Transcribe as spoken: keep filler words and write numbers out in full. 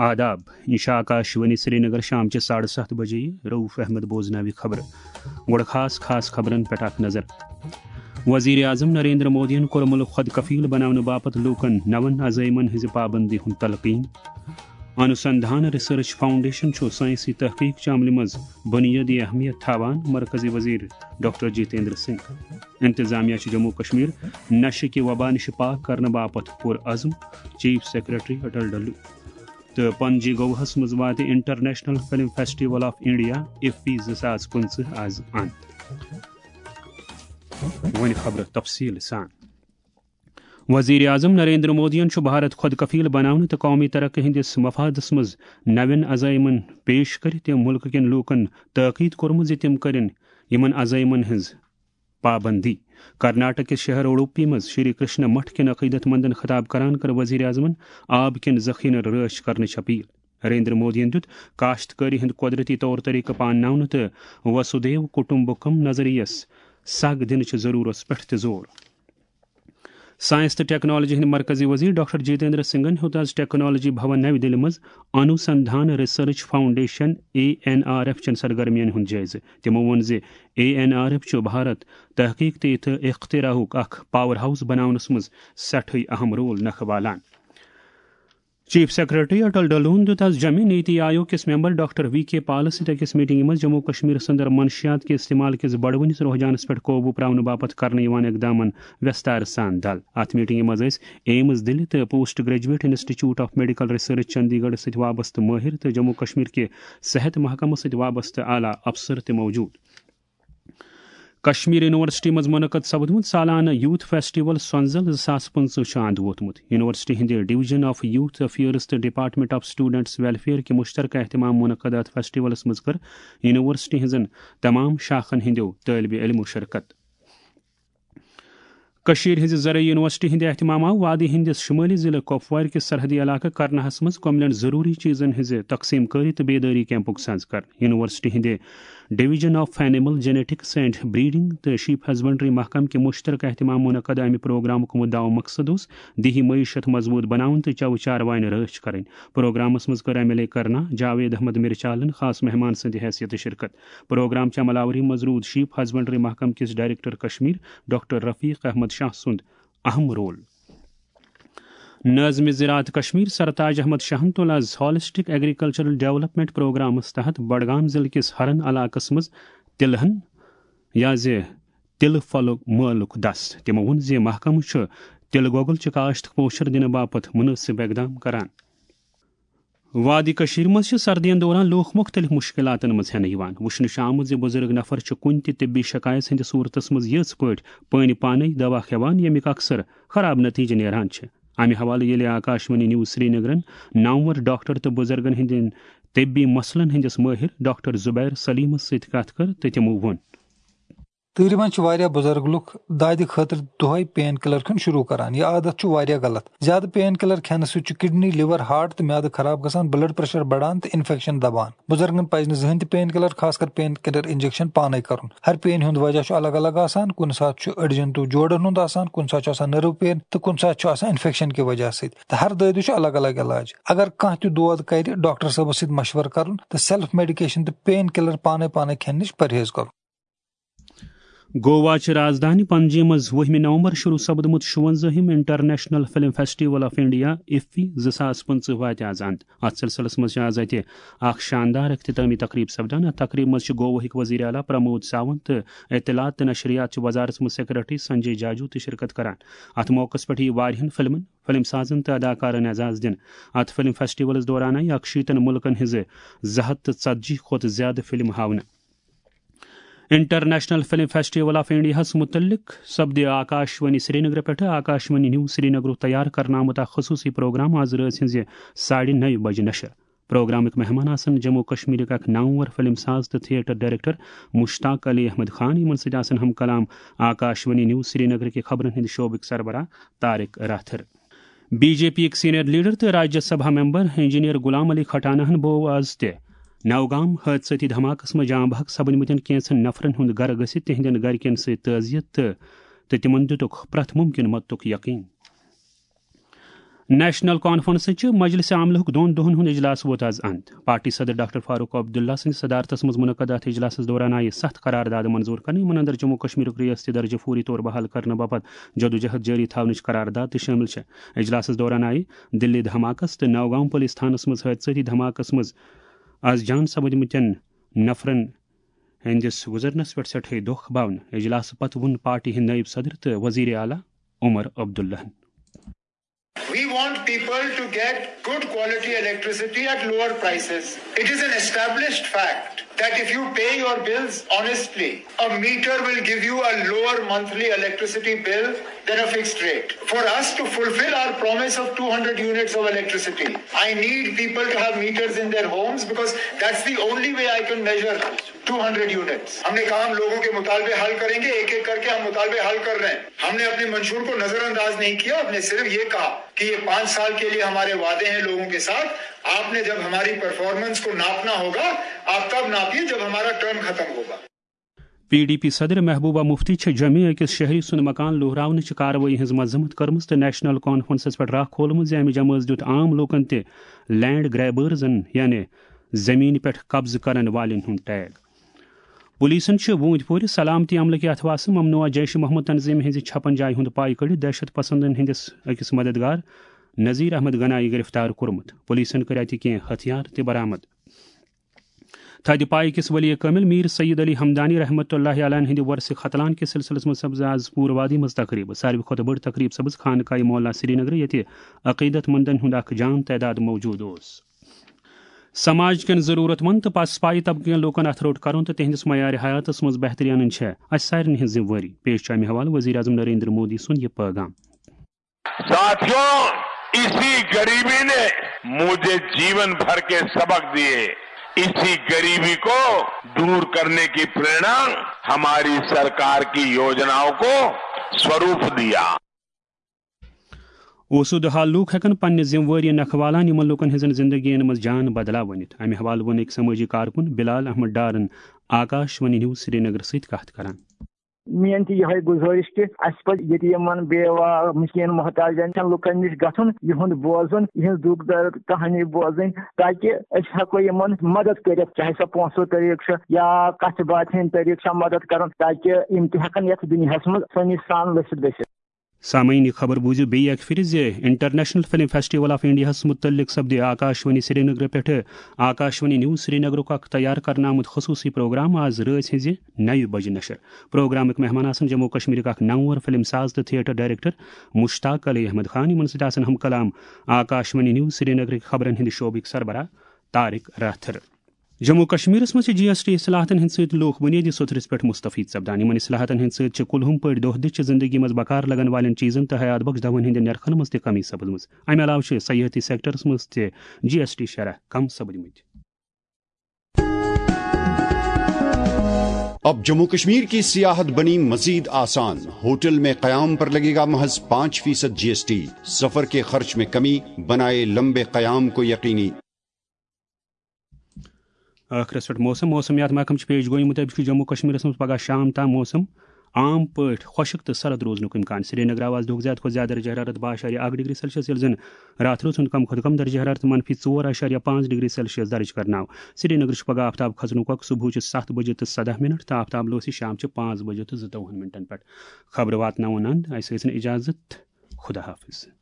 آداب، یہِ چھِ آکاشوانی سرینگر، شام چہِ ساڑٕ ستھ بجے۔ رؤف احمد بوزناوِ خبرٕ۔ گۄڈٕ خاص خاص خبرن پٮ۪ٹھ اکھ نظر۔ وزیر اعظم نریندر مودیَن کوٚر مُلک خۄد کفیل بناونہٕ باپتھ لوٗکن نون عزائمن ہٕنٛزِ پابندی ہُنٛد تلقین۔ انوسندھان ریسرچ فاؤنڈیشن چھُ سائنسی تحقیق چہِ عملہِ منٛز بنیٲدی اہمیت تھاوان، مرکزی وزیر ڈاکٹر جتیندر سنگھ۔ انتظامیہ چھُ جموں کشمیر نشہٕ کہِ وبا نِش پاک کرنہٕ باپتھ پُر عزم، چیف سیکرٹری اٹل ڈلو۔ تہٕ پنجی گوہس منٛز واتہِ international film festival of India, IFFI زٕ ساس پٕنٛژٕہ، آز اند۔ وۄنۍ خبرٕ تفصیٖل سان۔ وزیر اعظم نریندر مودیَن چھُ بھارت خۄد کفیل بناونہٕ تہٕ قومی ترقی ہٕنٛدِس مفادس منٛز نوٮ۪ن عزائمن پیش کٔرِتھ تہِ مُلکہٕ کٮ۪ن لوٗکن تٲکید کوٚرمُت زِ تِم کٔرِن یِمن عزائمن ہٕنٛز پابندی۔ کرناٹک کِس شہر اُڈوپی منٛز شری کرشنا مٹھ کٮ۪ن عقیدت مندن خطاب کران کٔر وزیر اعظمن آب کٮ۪ن ذخیرن رٲچھ کرنٕچ اپیل۔ نریندر مودیَن دیُت کاشتکٲری ہُنٛد قۄدرتی طور طریقہٕ پانناونہٕ تہٕ وسودھیو کٹمبکم نظریَس سگ دِنٕچ ضروٗرتس پٮ۪ٹھ تہِ زور۔ سائنس تہٕ ٹیکنالوجی ہٕنٛدۍ مرکزی وزیر ڈاکٹر جتیندر سنگھن ہیوٚت آز ٹیکنالوجی بھون نَوِ دِلہِ منٛز Anusandhan research foundation, A N R F, چٮ۪ن سرگرمیَن ہُنٛد جٲیزٕ۔ تِمو ووٚن زِ اے این آر ایف چھُ بھارت تحقیق تہٕ اختراعُک اکھ پاور ہاؤس بناونس منٛز سٮ۪ٹھٕے اہم رول نکھٕ والان۔ چیف سیکرٹری اٹل ڈلون دیُت آز جمعہ نیتی آیوگ کِس ممبر ڈاکٹر وی کے پالس سۭتۍ أکِس میٹنگہِ منٛز جموں کشمیر اندر منشیات کہِ استعمال کِس بڑوٕنِس رجحانس پٮ۪ٹھ قوبوٗ پراونہٕ باپتھ کرنہٕ یِوان اقدامن وستار سان دل۔ اتھ میٹنگہِ منٛز ٲسۍ ایمز دِلہِ تہٕ post graduate institute of medical research Chandigarh سۭتۍ وابستہٕ مٲہر تہٕ جموں کشمیر کہِ صحت محکمہٕ سۭتۍ وابستہٕ اعلیٰ افسر تہِ موجود۔ کشمیر یونیورسٹی منٛز منعقد سپدمُت سالانہٕ یوتھ فیسٹیول سۄنزل زٕ ساس پٕنٛژٕہ چھُ اند ووتمُت۔ یونیورسٹی ہٕنٛدِ ڈویژن آف یوتھ افیئرز تہٕ ڈپارٹمنٹ آف اسٹوڈنٹس ویلفیئر کہِ مشترکہ اہتمام منعقد اتھ فیسٹیولس منٛز کٔر یونیورسٹی ہٕنٛزن تمام شاخن ہٕنٛدیو طٲلبِ علمو شرکت۔ کٔشیٖرِ ہٕنٛزِ زرعی یونیورسٹی ہٕنٛدِ اہتمام آو وادی ہٕنٛدِس شُمٲلی ضلعہٕ کۄپوارِ کِس سرحدی علاقہٕ کرناہس منٛز کۄملٮ۪ن ضروٗری چیٖزن ہٕنٛزِ تقسیٖم کٲری تہٕ بیدٲری کیمپُک ساز کرنہٕ۔ یونیورسٹی ہٕنٛدِ division of animal genetics and breeding تہٕ شیپ ہسبنڈری محکمہٕ کہِ مشترکہ اہتمام منعقد امہِ پروگرامُک مدعا و مقصد اوس دیہی معیشت مضبوط بناوُن تہٕ چَوٕ چاروایَن رٲچھ کرٕنۍ۔ پروگرامس منٛز کٔر ایم ایل اے کرنا جاوید احمد مرچالن خاص مہمان سٕنٛدِ حیثیتہٕ شرکت۔ پروگرام چہِ عمل آوری منٛز روٗد شیپ ہسبنڈری محکمہٕ کِس ڈائریکٹر کشمیر ڈاکٹر رفیق احمد شاہ سُنٛد اہم رول۔ ناظم زراعت کشمیر سرتاج احمد شاہن تُل آز ہالسٹک ایگریکلچرل ڈیولپمنٹ پروگرامس تحت بڈگام ضلعہٕ کِس ہرن علاقس منٛز تِلہن یا زِ تِلہٕ پھلُک مٲلُک دست۔ تِمو ووٚن زِ محکمہٕ چھُ تِلہٕ گۄگُل چہِ کاشت پوچھر دِنہٕ باپتھ مُنٲسِب اقدام کران۔ وادی کٔشیٖرِ منٛز چھِ سردین دوران لوٗکھ مُختٔلِف مُشکِلاتن منٛز ہٮ۪نہٕ یِوان۔ وٕچھنہٕ چھُ آمُت زِ بُزرگ نفر چھِ کُنہِ تہِ طبی شکایت ہٕنٛدِس صوٗرتس منٛز یِژھ پٲٹھۍ پانہِ پانے دوا کھٮ۪وان، ییٚمیُک اکثر خراب نتیجہٕ نیران چھِ۔ امہِ حوالہٕ ییٚلہِ آکاشوانی نیوز سرینگرن نامور ڈاکٹر تہٕ بُزرگن ہٕنٛدٮ۪ن طبی مسلن ہٕنٛدِس مٲہِر ڈاکٹر زبیر سلیمس سۭتۍ کتھ کٔر تہٕ تِمو ووٚن۔ تۭرِ منٛز چھِ واریاہ بُزرگ لُکھ دادِ خٲطرٕ دۄہے پین کِلر کھیوٚن شروٗع کران۔ یہِ عادت چھُ واریاہ غلط۔ زیادٕ پین کِلر کھٮ۪نہٕ سۭتۍ چھُ کڈنی، لِور، ہارٹ تہٕ میادٕ خراب گژھان، بلڈ پریشر بڑان تہٕ انفیکشن دبان۔ بُزرگن پزِ نہٕ زٕہٕنۍ تہِ پین کِلر، خاص کر پین کِلر انجیکشن، پانے کرُن۔ ہر پین ہُنٛد وجہ چھُ الگ الگ آسان۔ کُنہِ ساتہٕ چھُ أڈجن تہٕ جوڑن ہُنٛد آسان، کُنہِ ساتہٕ چھُ آسان نٔرو پین تہٕ کُنہِ ساتہٕ چھُ آسان انفیکشن کہِ وجہ سۭتۍ۔ تہٕ ہر دٲدِس چھُ الگ الگ علاج۔ اگر کانٛہہ تہِ دود کرِ، ڈاکٹر صٲبس سۭتۍ مشورٕ کرُن تہٕ سیلف میڈیکیشن تہٕ پین کِلر پانے پانے کھٮ۪نہٕ نِش پرہیز کرُن۔ گوا چہِ رازدٲنۍ پنجی منٛز وُہمہِ نومبر شروع سپدمُت شُونزٲہِم international film festival of India, IFFI, زٕ ساس پٕنٛژٕہ واتہِ آز اند۔ اتھ سلسلس منٛز چھِ آز اتہِ اکھ شاندار اختتامی تقریب سپدان۔ اتھ تقریبہِ منٛز چھِ گواہٕکۍ وزیر اعلیٰ پرمود ساونت تہٕ اطلاعات تہٕ نشریات چہِ وزارتس منٛز سیکرٹری سنجے جاجو تہِ شرکت کران۔ اتھ موقعس پٮ۪ٹھ یِیہِ واریاہن فلمن، فلم سازن تہٕ اداکارن اعزاز دِنہٕ۔ اتھ فلم فیسٹیولس دوران آیہِ اکشیٖتن مُلکن ہٕنٛزٕ زٕ ہتھ تہٕ ژتجی کھۄتہٕ زیادٕ فلمہٕ ہاونہٕ۔ انٹرنیشنل فلم فیسٹیول آف انڈیاہس متعلق سپدِ آکاشوانی سرینگر پٮ۪ٹھٕ آکاشوانی نیوز سرینگرُک تیار کرنہٕ آمُت اکھ خصوٗصی پروگرام آز رٲژ ہٕنٛزِ ساڑِ نَیہِ بجہِ نشر۔ پروگرامٕکۍ مہمان آسن جموں کشمیرٕکۍ اکھ نامور فلم ساز تہٕ تھیٹر ڈائریکٹر مشتاق علی احمد خان، یِمن سۭتۍ آسن ہم کلام آکاشوانی نیوز سرینگر کہِ خبرن ہٕنٛدِ شعبٕکۍ سربراہ Tariq Rather. B J P یِکۍ سینئر لیڈر تہٕ راجیہ سبھا ممبر انجینئر غلام علی کھٹانہن بوو آز تہِ نوگام حٲدثٲتی دھماکس منٛز جاں بحق سپدمٕتٮ۪ن کینژن نفرن ہُنٛد گرٕ گٔژھِتھ تِہنٛدٮ۪ن گرِکٮ۪ن سۭتۍ تعزیت تہٕ، تہٕ تِمن دِتُکھ پرٛٮ۪تھ مُمکِن مدتُک یقین۔ نیشنل کانفرنسٕچ مجلس عاملہُک دۄن دۄہن ہُنٛد اجلاس ووت از اند۔ پارٹی صدر ڈاکٹر فاروق عبداللہ سٕنٛدِ صدارتس منٛز منعقد اتھ اجلاسس دوران آیہِ ستھ قرارداد منظور کرنہٕ، یِمن اندر جموں کشمیرُک ریاستی درجہٕ فوری طور بحال کرنہٕ باپتھ جدوجہد جٲری تھاونٕچ قرارداد تہِ شٲمِل چھےٚ۔ اجلاسس دوران آیہِ دِلی دھماکس تہٕ نوگام پُلیٖس تھانس منٛز حٲدثٲتی دھماکس منٛز از جان سپدمٕتٮ۪ن نفرن ہٕنٛدِس گُزرنس پٮ۪ٹھ سٮ۪ٹھاے دۄکھ باونہٕ۔ اجلاسہٕ پتہٕ ووٚن پارٹی ہٕنٛدۍ نٲیِب صدر تہٕ وزیر اعلیٰ عمر عبداللہن۔ We want people to get good quality electricity at lower prices. It is an established fact that if you pay your bills honestly, a meter will give you a lower monthly electricity bill than a fixed rate. For us to fulfill our promise of two hundred units of electricity, I need people to have meters in their homes, because that's the only way I can measure two hundred units. हमने कहा हम लोगों के मुतालबे हल करेंगे, एक एक करके हम मुतालबे हल कर रहे हैं। हमने अपने मंशूर को नजरअंदाज नहीं किया, हमने सिर्फ ये कहा कि ये पाँच साल के लिए हमारे वादे हैं लोगों के साथ। आपने जब हमारी परफॉर्मेंस को नापना होगा, आप तब नापिए जब हमारा टर्म खत्म होगा। پی ڈی پی صدر محبوبہ مفتی چھِ جوٚمہِ أکِس شہری سُنٛد مکان لوہراونٕچ کاروٲیی ہٕنٛز مذمت کٔرمٕژ تہٕ نیشنل کانفرنسس پٮ۪ٹھ راہ کھولمٕژ زِ اَمہِ جمٲژ دیُت عام لوٗکَن تہِ لینڈ گریبرزن، یعنی زٔمیٖنہِ پٮ۪ٹھ قبضہٕ کرن والٮ۪ن ہُنٛد ٹیگ۔ پولیسن چھِ ووٗنٛدۍ پورِ سلامتی عملہٕ کہِ اتھواسہٕ ممنوعہ جیش محمد تنظیمہِ ہٕنٛزِ چھپن جایہِ ہُنٛد پاے کٔڑِتھ دہشت پسندن ہٕنٛدِس أکِس مددگار نذیر احمد گنایی گرفتار کوٚرمُت۔ پولیسن کٔرۍ اتہِ کینٛہہ ہتھیار تہِ برآمد۔ تھدِ پایہِ کِس ولی کٲمِل میر سید علی حمدانی رحمتہ اللہ علیہ ہٕنٛدِ ورثہِ ختلان کِس سلسلس منٛز سپز آز پوٗرٕ وادی منٛز تقریٖب۔ ساروی کھۄتہٕ بٔڑ تقریٖب سپز خانقاہ مولا سرینگرٕ، ییٚتہِ عقیدت مندن ہُنٛد اکھ جان تعداد موجود اوس۔ سماج کٮ۪ن ضروٗرت مند تہٕ پسپایہِ طبقہٕ کٮ۪ن لوٗکن اتھٕ روٚٹ کرُن تہٕ تِہنٛدِس معیار حیاتس منٛز بہتری انٕنۍ چھےٚ اسہِ سارنٕے ہٕنٛز ذمہٕ وٲری۔ پیش چھُ امہِ حوالہٕ وزیر اعظم نریندر مودی سُنٛد یہِ پٲغام۔ ساتھیوں، اسی غریبی نے مجھے جیون بھر کے سبق دیے۔ اسی غریبی کو دور کرنے کی प्रेरणा हमारी सरकार की योजनाओं को स्वरूप दिया। اوسُد حال لوٗکھ ہٮ۪کن پننہِ ذمہٕ وٲری نکھٕ والان یِمن لوٗکن ہٕنٛزن زندگین منٛز جان بدلاو ؤنِتھ۔ امہِ حوالہٕ ووٚن أکۍ سمٲجی کارکُن بلال احمد ڈارن آکاش وانی نیوز سرینگر سۭتۍ کتھ کران۔ میٲنۍ تہِ یِہوٚے گُزٲرِش کہِ اَسہِ پَزِ ییٚتہِ یِمَن بیوا مسکیٖن محتاجَن لُکَن نِش گژھُن، یِہُنٛد بوزُن، یِہٕنٛز دُکھ درد کہانی بوزٕنۍ، تاکہِ أسۍ ہٮ۪کو یِمَن مدد کٔرِتھ، چاہے سۄ پونٛسو طریٖقہٕ چھُ یا کَتھِ باتھِ ہِنٛدۍ طریٖقہٕ چھا مدد کَرُن، تاکہِ یِم تہِ ہٮ۪کَن یَتھ دُنیاہَس منٛز آسٲنی سان لٔسِتھ گٔژھِتھ۔ سامعین، یہِ خبر بوٗزِو بیٚیہِ اکہِ پھِرِ زِ انٹرنیشنل فلم فیسٹیول آف انڈیاہس متعلق سپدِ آکاشوانی سرینگر پٮ۪ٹھٕ آکاشوانی نیوز سرینگرُک اکھ تیار کرنہٕ آمُت خصوٗصی پروگرام آز رٲژ ہٕنزِ نَیہِ بجہِ نشر۔ پروگرامٕکۍ مہمان آسن جموں کشمیرٕکۍ اکھ نامور فلم ساز تہٕ تھیٹر ڈائریکٹر مشتاق علی احمد خان، یِمن سۭتۍ آسن ہم کلام آکاشوانی نیوز سرینگرٕکۍ خبرن ہٕنٛدِ شعبٕکۍ سربراہ طارق راتھر۔ جموں کشمیرس منٛز چھِ جی ایس ٹی اصلاحاتن ہٕنٛدۍ سۭتۍ لوٗکھ بُنیٲدی سطحس پٮ۪ٹھ مستفید سپدان۔ یِمن اصلاحاتن ہٕنٛدۍ سۭتۍ چھِ کُلہُم پٲٹھۍ دۄہ دِش چہِ زندگی منٛز بکار لگن والٮ۪ن چیٖزن تہٕ حیات بخش دوہن ہٕنٛدٮ۪ن نرخن منٛز تہِ کمی سپدمٕژ۔ امہِ علاوٕ چھِ سیاحتی سیکٹرس منٛز تہِ جی ایس ٹی شرح کم سپدمٕتۍ۔ اب جموں کشمیر کی سیاحت بنی مزید آسان، ہوٹل میں قیام پر لگے گا محض پانچ فیصد جی ایس ٹی، سفر کے خرچ میں کمی، بنائے لمبے قیام کو یقینی۔ ٲخرس پٮ۪ٹھ موسم۔ موسمیات محکمہٕ چھِ پیش گویی مُطٲبِق چھُ جموں کشمیرس منٛز پگہہ شام تام موسم عام پٲٹھۍ خۄشک تہٕ سرد روزنُک امکان۔ سرینگر آو آز دۄہُک زیادٕ کھۄتہٕ زیادٕ درجہ حرارت باہ اعشاریہ اکھ ڈگری سیلسیس، ییٚلہِ زن راتھ روز ہُنٛد کم کھۄتہٕ کم درجہ حرارت منفی ژور اعشاریہ پانٛژھ ڈگری سیلسیس درج کرنہٕ آو۔ سرینگرٕ چھُ پگہہ آفتاب کھسنُک وقت صبحٕچہِ ستھ بجہِ تہٕ سداہ منٹ تہٕ آفتاب لوسہِ شامچہِ پانٛژھ بجہِ تہٕ زٕتووُہن منٹن پٮ۪ٹھ۔ خبرٕ واتناوُن اند، اسہِ ٲسِن اجازت۔ خدا حافظ۔